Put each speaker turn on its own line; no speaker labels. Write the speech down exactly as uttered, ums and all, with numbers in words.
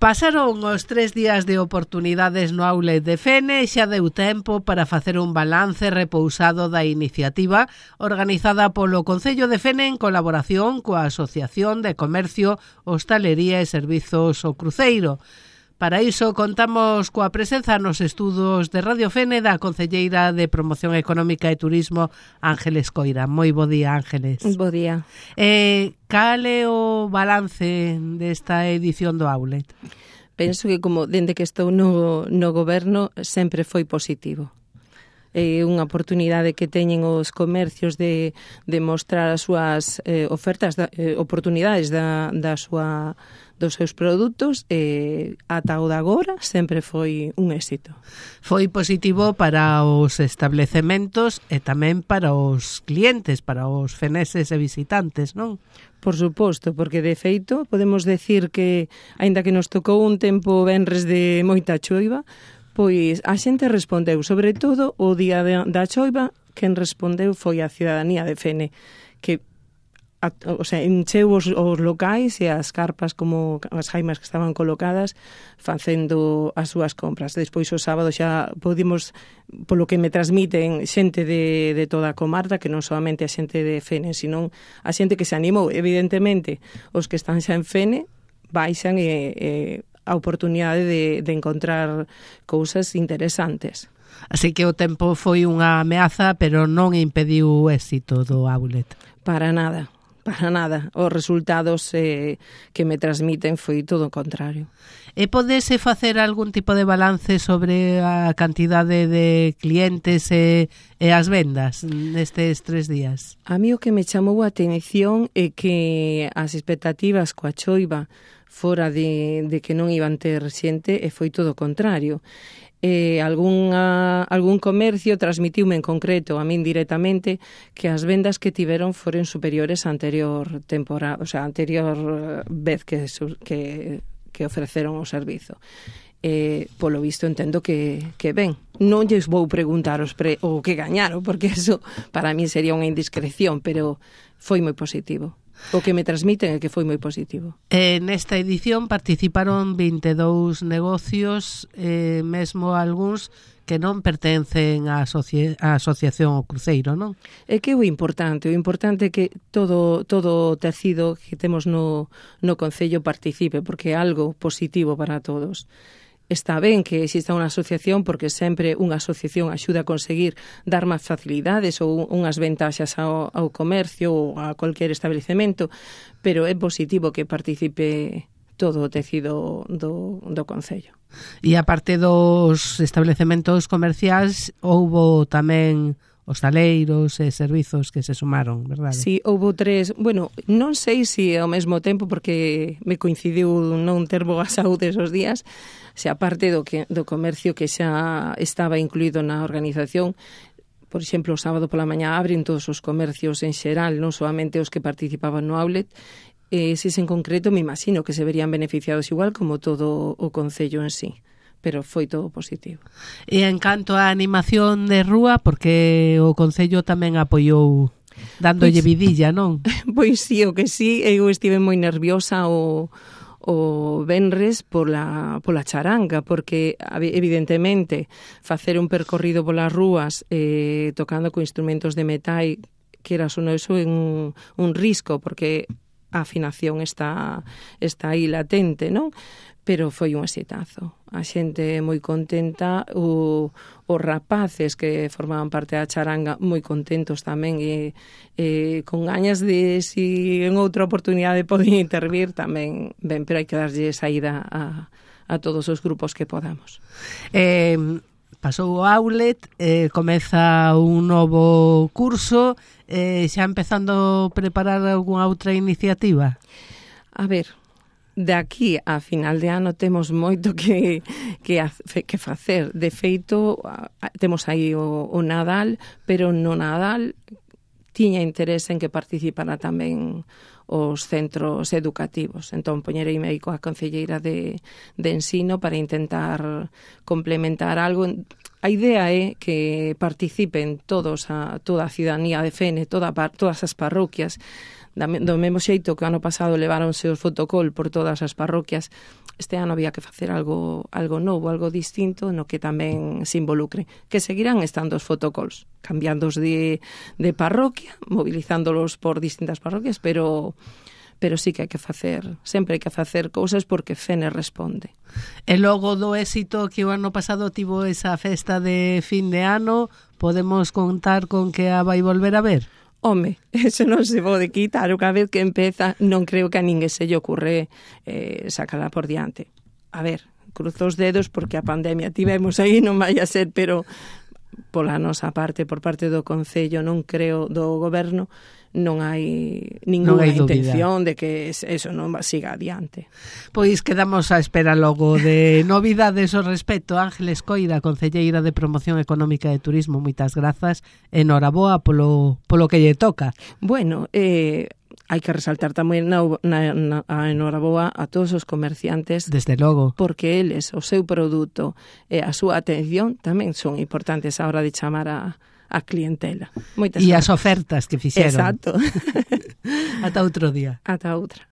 Pasaron os tres días de oportunidades no Outlet de Fene e xa deu tempo para facer un balance repousado da iniciativa organizada polo Concello de Fene en colaboración coa Asociación de Comercio, Hostalería e Servizos O Cruceiro. Para iso contamos coa presenza nos estudos de Radio Fene da concelleira de Promoción Económica e Turismo, Ángeles Coira. Moi bo día, Ángeles.
Bo día.
Eh, cal é o balance desta edición do Outlet?
Penso que como dende que estou no, no goberno sempre foi positivo. É unha oportunidade que teñen os comercios de, de mostrar as súas eh, ofertas, da, eh, oportunidades da, da súa, dos seus produtos e ata o de agora sempre foi un éxito.
Foi positivo para os establecementos e tamén para os clientes, para os feneses e visitantes, non?
Por suposto, porque de feito podemos decir que, aínda que nos tocou un tempo venres de moita choiva, pois a xente respondeu, sobre todo o día de, da choiva, quen respondeu foi a cidadanía de Fene, que a, o sea, encheu os, os locais e as carpas como as jaimas que estaban colocadas facendo as súas compras. Despois o sábado xa podimos, polo que me transmiten xente de, de toda a comarca, que non solamente a xente de Fene, sino a xente que se animou. Evidentemente, os que están xa en Fene baixan e, e a oportunidade de, de encontrar cousas interesantes.
Así que o tempo foi unha ameaza, pero non impediu o éxito do Outlet.
Para nada, para nada. Os resultados eh, que me transmiten foi todo o contrario.
E podese facer algún tipo de balance sobre a cantidade de clientes e, e as vendas nestes tres días?
A mí o que me chamou a atención é que as expectativas coa choiva fora de, de que non iban ter xente e foi todo o contrario. Eh, algún, a, algún comercio transmitiume en concreto a min directamente que as vendas que tiveron foron superiores á anterior temporada, o sea, anterior vez que, que, que ofreceron o servizo. Eh, polo visto entendo que, que ben. Non lles vou preguntar os pre, o que gañaron, porque eso para mí sería unha indiscreción, pero foi moi positivo. O que me transmiten é que foi moi positivo.
Eh, nesta edición participaron vinte e dous negocios, eh, mesmo algúns que non pertencen á, asoci- á Asociación O Cruceiro, non?
É que o importante, o importante é que todo todo o tecido que temos no, no Concello participe, porque é algo positivo para todos. Está ben que exista unha asociación porque sempre unha asociación axuda a conseguir dar máis facilidades ou unhas ventaxas ao, ao comercio ou a cualquier establecemento, pero é positivo que participe todo o tecido do, do Concello.
E aparte dos establecementos comerciais, houbo tamén hostaleiros e servizos que se sumaron, verdade?
Sí, houve tres, bueno, non sei se ao mesmo tempo porque me coincidiu non ter boa saúde esos días, se aparte do que do comercio que xa estaba incluído na organización. Por exemplo, o sábado pola mañá abren todos os comercios en xeral, non solamente os que participaban no Outlet. E eses en concreto me imagino que se verían beneficiados igual como todo o Concello en sí, pero foi todo positivo.
E en canto á animación de rúa, porque o Concello tamén apoiou dándolle
Pois,
vidilla, non?
Pois sí, o que sí, eu estive moi nerviosa o, o venres pola, pola charanga, porque evidentemente facer un percorrido polas rúas eh, tocando con instrumentos de metal, que era sono eso un, un risco, porque a afinación está, está aí latente, non? Pero foi un exitazo. A xente moi contenta, o, os rapaces que formaban parte da charanga moi contentos tamén e, e con gañas de si en outra oportunidade poden intervir tamén ben, pero hai que darlle saída a, a todos os grupos que podamos.
Eh, pasou o Outlet, eh, comeza un novo curso, eh, xa empezando a preparar algunha outra iniciativa?
A ver, de aquí a final de ano temos moito que, que, que facer. De feito, temos aí o, o Nadal, pero no Nadal tiña interés en que participara tamén os centros educativos. Entón, poñereime aí coa concelleira de, de ensino para intentar complementar algo. A idea é que participen todos a, toda a cidadanía de Fene, toda, todas as parroquias, do mesmo xeito que o ano pasado leváronse os fotocall por todas as parroquias, este ano había que facer algo algo novo, algo distinto, no que tamén se involucre, que seguirán estando os fotocalls, cambiándoos de, de parroquia, movilizándolos por distintas parroquias, pero pero sí que hai que facer, sempre hai que facer cousas porque Fene responde.
E logo do éxito que o ano pasado tivo esa festa de fin de ano, podemos contar con que a vai volver a ver?
Home, eso non se pode quitar, cada vez que empeza non creo que a ninguén se lle ocurre eh, sacala por diante. A ver, cruzo os dedos porque a pandemia tivemos aí, non vai a ser, pero pola nosa parte, por parte do Concello, non creo, do Goberno, non hai ninguna non hai intención de que eso non siga adiante.
Pois quedamos á espera logo de novidades ao respecto. Ángeles Coira, concelleira de Promoción Económica e Turismo, moitas grazas, enhoraboa polo, polo que lle toca.
Bueno, eh, hai que resaltar tamén na, na, na, a enhoraboa a todos os comerciantes.
Desde logo.
Porque eles, o seu produto e a súa atención tamén son importantes a hora de chamar a a clientela. Moitas
e
gracias.
As ofertas que fixeron.
Exacto.
Ata outro día.
Ata outra.